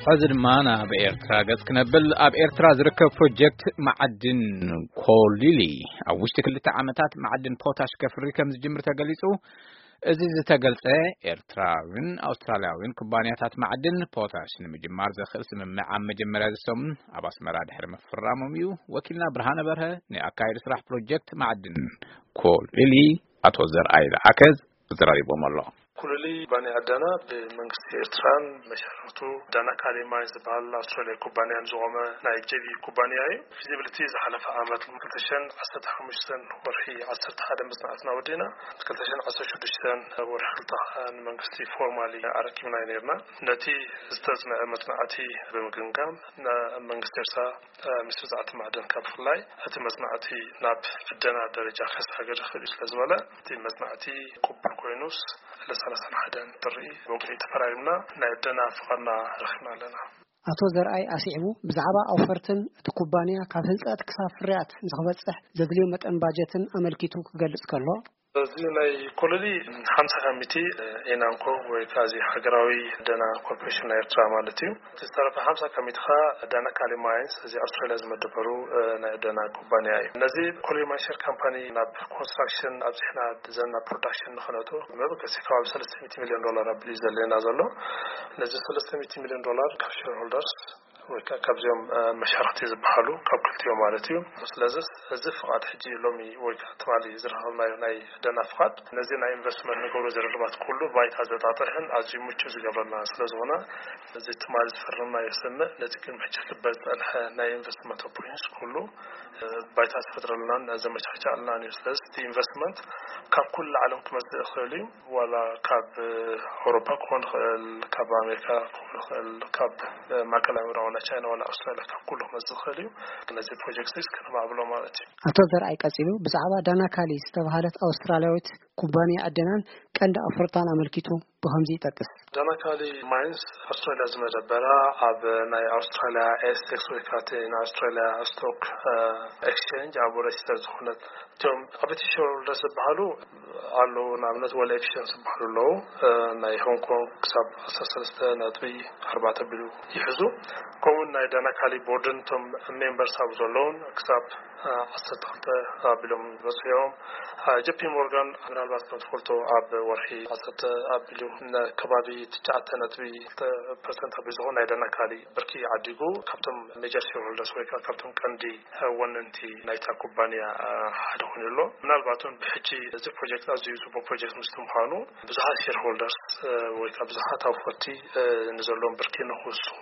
ሕዚ ድማ ናብ ኤርትራ ገጽ ክነብል። ኣብ ኤርትራ ዝርከብ ፕሮጀክት መዓድን ኮሊሊ ኣብ ውሽጢ ክልተ ዓመታት መዓድን ፖታሽ ከፍሪ ከም ዝጅምር ተገሊጹ። እዚ ዝተገልጸ፣ ኤርትራዊን ኣውስትራልያዊን ኩባንያታት መዓድን ፖታሽ ንምጅማር ዘኽእል ስምምዕ ኣብ መጀመርያ እዚ ሰሙን ኣብ ኣስመራ ድሕሪ ምፍራሞም እዩ። ወኪልና ብርሃነ በርሀ ንኣካየዲ ስራሕ ፕሮጀክት መዓድን ኮሊሊ ኣቶ ዘርኣይ ለኣከ ዘራሪቦም ኣሎ። ኩሉሊ ኩባንያ ዕደና ብመንግስቲ ኤርትራን መሻርክቱ ዳና ካሊ ማይንስ ዝበሃል ኣውስትራልያ ኩባንያን ዝቖመ ናይ ጄቪ ኩባንያ እዩ። ፊዚቢሊቲ ዝሓለፈ ዓመት ክልተ ሽሕን ዓሰርተ ሓሙሽተን ወርሒ ዓሰርተ ሓደ መጽናዕትና ወዲና፣ ክልተ ሽሕን ዓሰርተ ሽዱሽተን ወርሒ ክልተ ንመንግስቲ ፎርማሊ ኣረኪብና ነርና። ነቲ ዝተጽንዐ መጽናዕቲ ብምግምጋም፣ ንመንግስቲ ኤርትራ ምስ ብዛዕቲ ማዕድን ካብ ብፍላይ እቲ መጽናዕቲ ናብ ዕደና ደረጃ ከሰጋግር ይኽእል እዩ ስለ ዝበለ፣ እቲ መጽናዕቲ ቅቡል ኮይኑስ፣ ዕለት ሰላሳን ሓደን ጥሪ ብወግዒ ተፈራሪምና ናይ ዕደና ፍቓድና ረኺብና ኣለና። ኣቶ ዘርኣይ ኣስዒቡ፣ ብዛዕባ ኣውፈርትን እቲ ኩባንያ ካብ ህንጸት ክሳብ ፍርያት ንኽበጽሕ ዘድልዮ መጠን ባጀትን ኣመልኪቱ ክገልጽ ከሎ፣ በዚ ናይ ኮለሊ ሓምሳ ካብ ሚእቲ ኢናንኮ ወይ ከዓ እዚ ሃገራዊ ዕደና ኮርፖሬሽን ናይ ኤርትራ ማለት እዩ። እቲ ዝተረፈ ሓምሳ ካብ ሚእቲ ከዓ ዳና ካሊ ማይንስ፣ እዚ ኣውስትራልያ ዝመደበሩ፣ እ፣ ናይ ዕደና ኩባንያ እዩ። ነዚ ኮለሊ ማይንስ ሼር ካምፓኒ ናብ ኮንስትራክሽን ኣብዚሕና ዘና ፕሮዳክሽን ንኽነእቱ መበገሲ ከባቢ ሰለስተ ሚእቲ ሚልዮን ዶላር ኣቢሉ እዩ ዘድልየና ዘሎ። ነዚ ሰለስተ ሚእቲ ሚልዮን ዶላር ካብ ሼርሆልደርስ ወይ ከዓ ካብዚኦም፣ እ፣ መሻርክቲ ዝበሃሉ ካብ ክልቲኦም ማለት እዩ። ስለዚ እዚ ፍቓድ ሕጂ ሎሚ ወይ ከዓ ትማሊ ዝረኸብናዮ ናይ ዕደና ፍቓድ ነዚ ናይ ኢንቨስትመንት ንገብሮ ዝርርባት ኩሉ ባይታ ዘጣጥሕን ኣዝዩ ምቹእ ዝገብረልና ስለ ዝኾነ፣ እዚ ትማሊ ዝፈረምናዮ ስምምዕ ነዚ ቅድሚ ሕጂ ክግበር ዝጸንሐ ናይ ኢንቨስትመንት ኦፖርቹኒቲስ ኩሉ፣ እ፣ ባይታ ዝፈጥረልናን ዘመቻችኣልናን እዩ። ስለዚ እቲ ኢንቨስትመንት ካብ ኩሉ ዓለም ክመጽእ ይኽእል እዩ። ዋላ ካብ ኣውሮፓ ክኾን ይኽእል፣ ካብ ኣሜሪካ ክኾን ይኽእል፣ ካብ ማእከላይ ምዕራብ ዋላ ቻይና ዋላ ኣውስትራልያ፣ ካብ ኩሉ ክመጽእ ይኽእል እዩ። ነዚ ፕሮጀክት እዚ ከነማዕብሎ ማለት እዩ። ኣቶ ዘርኣይ ቀጺሉ ብዛዕባ ዳናካሊ ዝተባህለት ኣውስትራልያዊት ኩባንያ ዕደናን ቀንዲ ኣፍርታን ኣመልኪቱ ብኸምዚ ይጠቅስ። ዳናካሊ ማይንስ ኣውስትራልያ ዝመደበራ፣ ኣብ ናይ ኣውስትራልያ ኤስቴክስ ወይ ከዓ እቲ ናይ ኣውስትራልያ ስቶክ፣ እ፣ ኤክስቼንጅ ኣብ ሬጅስተር ዝኾነት፣ እቶም ዓበይቲ ሼርሆልደርስ ዝበሃሉ ኣለዉ። ንኣብነት ወል ኤክስቼንጅ ዝበሃሉ ኣለዉ። እ፣ ናይ ሆንግ ኮንግ ክሳብ ዓሰርተ ሰለስተ ነጥቢ ኣርባዕተ ቢሉ ይሕዙ። ከምኡውን ናይ ዳናካሊ ቦርድን እቶም ሜምበርስ ኣብ ዘለዉን ክሳብ፣ እ፣ ዓሰርተ ክልተ ኣቢሎም ዝበጽሑ እዮም። እ፣ ጄፒ ሞርጋን ምናልባት ከም ትፈልጦ ኣብ ወርሒ ዓሰርተ ኣቢሉ ንከባቢ ትሽዓተ ነጥቢ ክልተ ፐርሰንት ኣቢሉ ዝኾን ናይ ዳናካሊ ብርኪ ዓዲጉ ካብቶም ሜጀር ሼርሆልደርስ ወይ ከዓ ካብቶም ቀንዲ ወነንቲ ናይታ ኩባንያ ሓደ ኮይኑ ኣሎ። ምናልባት እውን ብሕጂ እዚ ፕሮጀክት ኣዝዩ ጽቡቕ ፕሮጀክት ምስ ምዃኑ፣ ብዙሓት ሼርሆልደርስ ወይ ከዓ ብዙሓት ኣውፈርቲ ንዘለዎም ብርኪ ንክውስኹ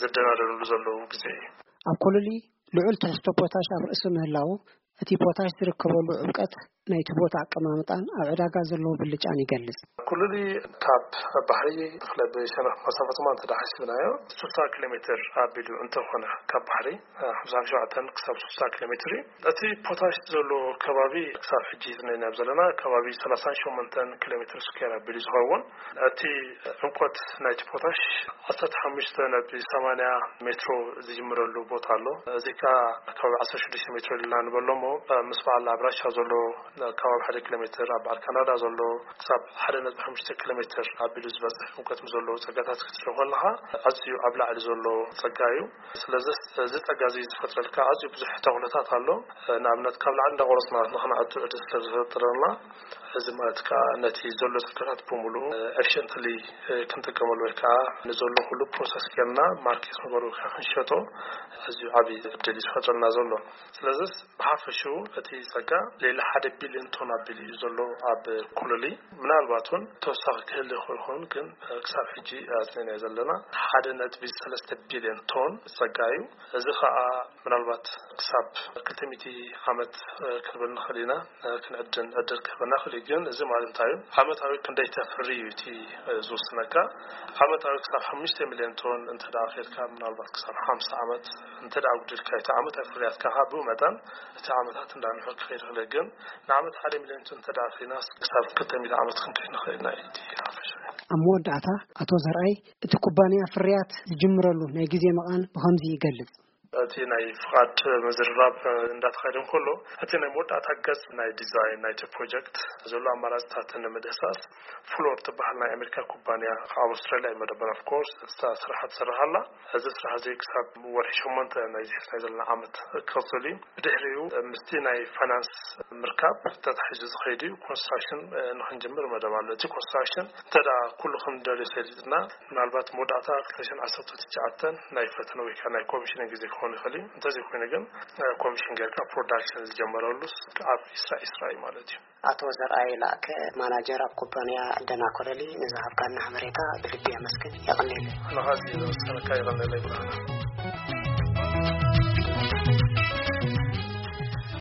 ዝደናደንሉ ዘለዉ ግዜ እዩ። ኣብ ኮሎሊ ልዑል ትሕዝቶ ፖታሽ ኣብ ርእሲ ምህላዉ፣ እቲ ፖታሽ ዝርከበሉ ዕምቀት ናይቲ ቦታ ኣቀማምጣን ኣብ ዕዳጋ ዘለዎ ብልጫን ይገልጽ። ኩሉሊ ካብ ባሕሪ ብፍላይ ብሸነኽ መሳፈጥማ እንተ ደኣ ሓሲብናዮ፣ ስልሳ ኪሎ ሜትር ኣቢሉ እንተኾነ ካብ ባሕሪ፣ ሓምሳ ሸውዓተ ክሳብ ስልሳ ኪሎ ሜትር እዩ። እቲ ፖታሽ ዘሎ ከባቢ ክሳብ ሕጂ ዝነናዮ ዘለና ከባቢ ሰላሳን ሸሞንተን ኪሎ ሜትር ስኩዌር ኣቢሉ ዝኸውን፣ እቲ ዕምቆት ናይቲ ፖታሽ ዓሰርተ ሓሙሽተ ነጥቢ ሰማንያ ሜትሮ ዝጅምረሉ ቦታ ኣሎ። እዚ ከኣ ከባቢ ዓሰርተ ሽዱሽተ ሜትሮ ኢልና ንበሎ እሞ፣ ምስ በዓል ኣብ ራሻ ዘሎ ከባቢ ሓደ ኪሎ ሜትር፣ ኣብ በዓል ካናዳ ዘሎ ክሳብ ሓደ ነጥቢ ሓሙሽተ ኪሎ ሜትር ኣቢሉ ዝበጽሕ ዕምቆት ምስ ዘለዎ ጸጋታት ክትሪኦ ከለኻ፣ ኣዝዩ ኣብ ላዕሊ ዘሎ ጸጋ እዩ። ስለዚ እዚ ጸጋ እዚ ዝፈጥረልካ ኣዝዩ ብዙሕ ተኽእሎታት ኣሎ። ንኣብነት ካብ ላዕሊ እንዳቆረጽና ንኽንኣቱ ዕድል ስለ ዝፈጥረልና፣ እዚ ማለት ከኣ ነቲ ዘሎ ጸጋታት ብምሉኡ ኤፊሽንትሊ ክንጥቀመሉ ወይ ከኣ ንዘሎ ኩሉ ፕሮሰስ ጌርና ማርኬት ንገሩ ክንሸጦ ኣዝዩ ዓቢ ዕድል እዩ ዝፈጥረልና ዘሎ። ስለዚ ብሓፈሽኡ እቲ ጸጋ ሌላ ሓደ ቢልዮን ቶን ኣቢሉ እዩ ዘሎ ኣብ ኮሎሊ። ምናልባት እውን ተወሳኺ ክህሉ ይኽእል ይኸውን፣ ግን ክሳብ ሕጂ ኣጽኒዕናዮ ዘለና ሓደ ነጥቢ ሰለስተ ቢልዮን ቶን ጸጋ እዩ። እዚ ከኣ ምናልባት ክሳብ ክልተ ሚእቲ ዓመት ክንብል ንኽእል ኢና፣ ክንዕድን ዕድል ክህበና ይኽእል እዩ። ግን እዚ ማለት እንታይ እዩ? ዓመታዊ ክንደይ ተፍሪ እዩ እቲ ዝውስነካ። ዓመታዊ ክሳብ ሓሙሽተ ሚልዮን ቶን እንተ ደኣ ኬድካ፣ ምናልባት ክሳብ ሓምሳ ዓመት እንተ ደኣ ኣጉዲልካ፣ እቲ ዓመታዊ ፍርያትካ ከኣ ብኡ መጠን እቲ ዓመታት እንዳንውሐ ክኸይድ ይኽእል። ግን ንዓመት ሓደ ሚልዮን ቶን እንተ ደኣ ኬድና፣ ክሳብ ክልተ ሚእቲ ዓመት ክንከይድ ንኽእል ኢና እዩ እቲ ሓፈሻዊ። ኣብ መወዳእታ ኣቶ ዘርኣይ፣ እቲ ኩባንያ ፍርያት ዝጅምረሉ ናይ ግዜ መቓን ብኸምዚ ይገልጽ። እቲ ናይ ፍቓድ ምዝርራብ እንዳተኻየደ እንከሎ፣ እቲ ናይ መወዳእታ ገጽ ናይ ዲዛይን ናይቲ ፕሮጀክት ዘሎ ኣማራፅታት ንምድህሳስ ፍሎር ትበሃል ናይ ኣሜሪካ ኩባንያ ኣብ ኣውስትራልያ እዩ መደበር። ኦፍኮርስ እታ ስራሓ ትስራሕ ኣላ። እዚ ስራሕ እዚ ክሳብ ወርሒ ሸሞንተ ናይዚ ሕሳይ ዘለና ዓመት ክቕፅል እዩ። ብድሕሪኡ ምስቲ ናይ ፋይናንስ ምርካብ ተታሒዙ ዝኸይድ እዩ። ኮንስትራክሽን ንክንጅምር መደብ ኣሎ። እቲ ኮንስትራክሽን እንተ ኩሉ ክንደልዮ ሰሊጥና፣ ምናልባት መወዳእታ ክልተ ሽሕን ዓሰርተ ትሽዓተን ናይ ፈተነ ወይ ከዓ ናይ ኮሚሽን ግዜ ክኸውን ይኽእል እዩ። እንተዘይኮይኑ ግን ኮሚሽን ጌርካ ፕሮዳክሽን ዝጀመረሉ ኣብ ኢስራ ኢስራ እዩ ማለት እዩ። ኣቶ ዘርኣይ ላእከ፣ ማናጀር ኣብ ኩባንያ ደናኮረሊ፣ ንዝሃብካና ሓበሬታ ብልቢ ኣመስግን። የቐንየለይ። ንኻዚ ዘመሰለካ የቐንየለይ ብርሃና።